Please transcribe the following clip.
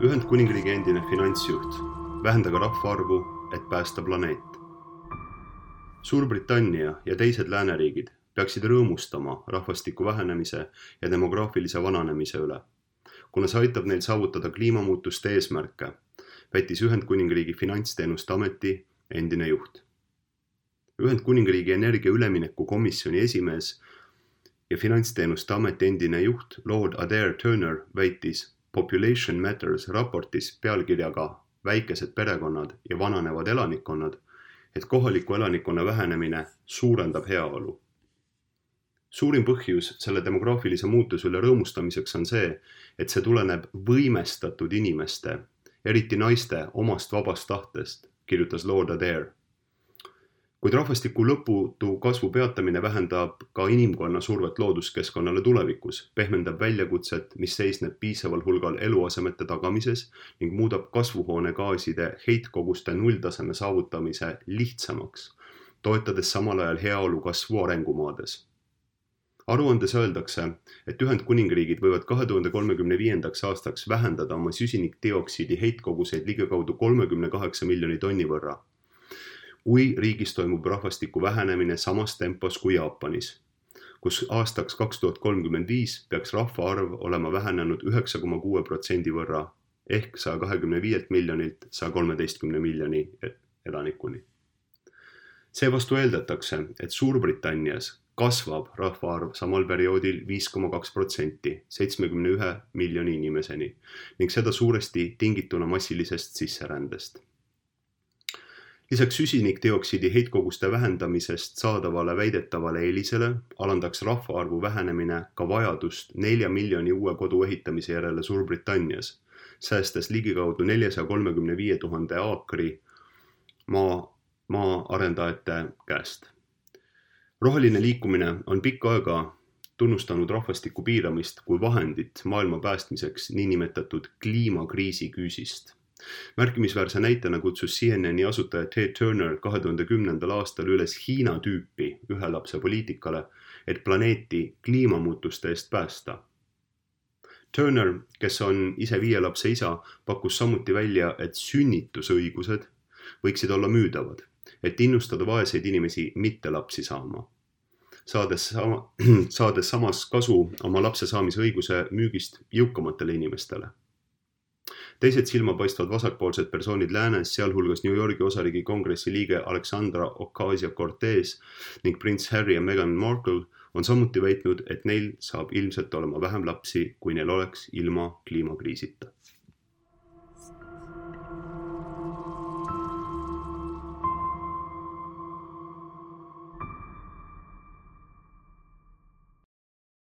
Ühendkuningriigi endine finantsjuht. Vähendage rahvaarvu, et päästa planeet. Suurbritannia ja teised lääneriigid peaksid rõõmustama rahvastiku vähenemise ja demograafilise vananemise üle, kuna see aitab neil saavutada kliimamuutuste eesmärke, väitis Ühendkuningriigi finantsteenuste ameti endine juht. Ühendkuningriigi energia ülemineku komisjoni esimees ja finantsteenuste ameti endine juht Lord Adair Turner väitis Population Matters raportis pealkirjaga Väikesed perekonnad ja vananevad elanikkonnad, et kohaliku elanikkonna vähenemine suurendab heaolu. Suurim põhjus selle demograafilise muutuse üle rõõmustamiseks on see, et see tuleneb võimestatud inimeste, eriti naiste omast vabast tahtest, kirjutas Lord Adair. Kuid rahvastiku lõputu kasvu peatamine vähendab ka inimkonna survet looduskeskkonnale tulevikus, pehmendab väljakutset, mis seisneb piisaval hulgal eluasemete tagamises ning muudab kasvuhoonegaaside heitkoguste nulltaseme saavutamise lihtsamaks, toetades samal ajal heaolu kasvu arengumaades. Aruandes öeldakse, et Ühendkuningriigid võivad 2035. aastaks vähendada oma süsinikdioksiidi heitkoguseid ligikaudu 38 miljoni tonni võrra, kui riigis toimub rahvastiku vähenemine samas tempos kui Jaapanis, kus aastaks 2035 peaks rahvaarv olema vähenenud 9,6% võrra ehk 125 miljonilt 113 miljoni elanikuni. Seevastu eeldatakse, et Suurbritannias kasvab rahvaarv samal perioodil 5,2%, 71 miljoni inimeseni ning seda suuresti tingituna massilisest sisserändest. Lisaks süsinikdioksiidi heitkoguste vähendamisest saadavale väidetavale eelisele alandaks rahvaarvu vähenemine ka vajadust 4 miljoni uue kodu ehitamise järele Suurbritannias, säästes ligikaudu 435 000 aakri maa arendajate käest. Roheline liikumine on pikka aega tunnustanud rahvastiku piiramist kui vahendit maailma päästmiseks niinimetatud kliimakriisi küüsist. Märkimisväärse näitena kutsus CNN-i asutaja Ted Turner 2010. aastal üles Hiina tüüpi ühe lapse poliitikale, et planeeti kliimamuutuste eest päästa. Turner, kes on ise 5 lapse isa, pakkus samuti välja, et sünnitusõigused võiksid olla müüdavad, et innustada vaeseid inimesi mitte lapsi saama, saades samas kasu oma lapse saamise õiguse müügist jõukamatele inimestele. Teised silmapaistvad vasakpoolsed persoonid läänes, sealhulgas New Yorgi osariigi kongressi liige Alexandra Ocasio-Cortez ning prints Harry ja Meghan Markle on samuti väitnud, et neil saab ilmselt olema vähem lapsi, kui neil oleks ilma kliimakriisita.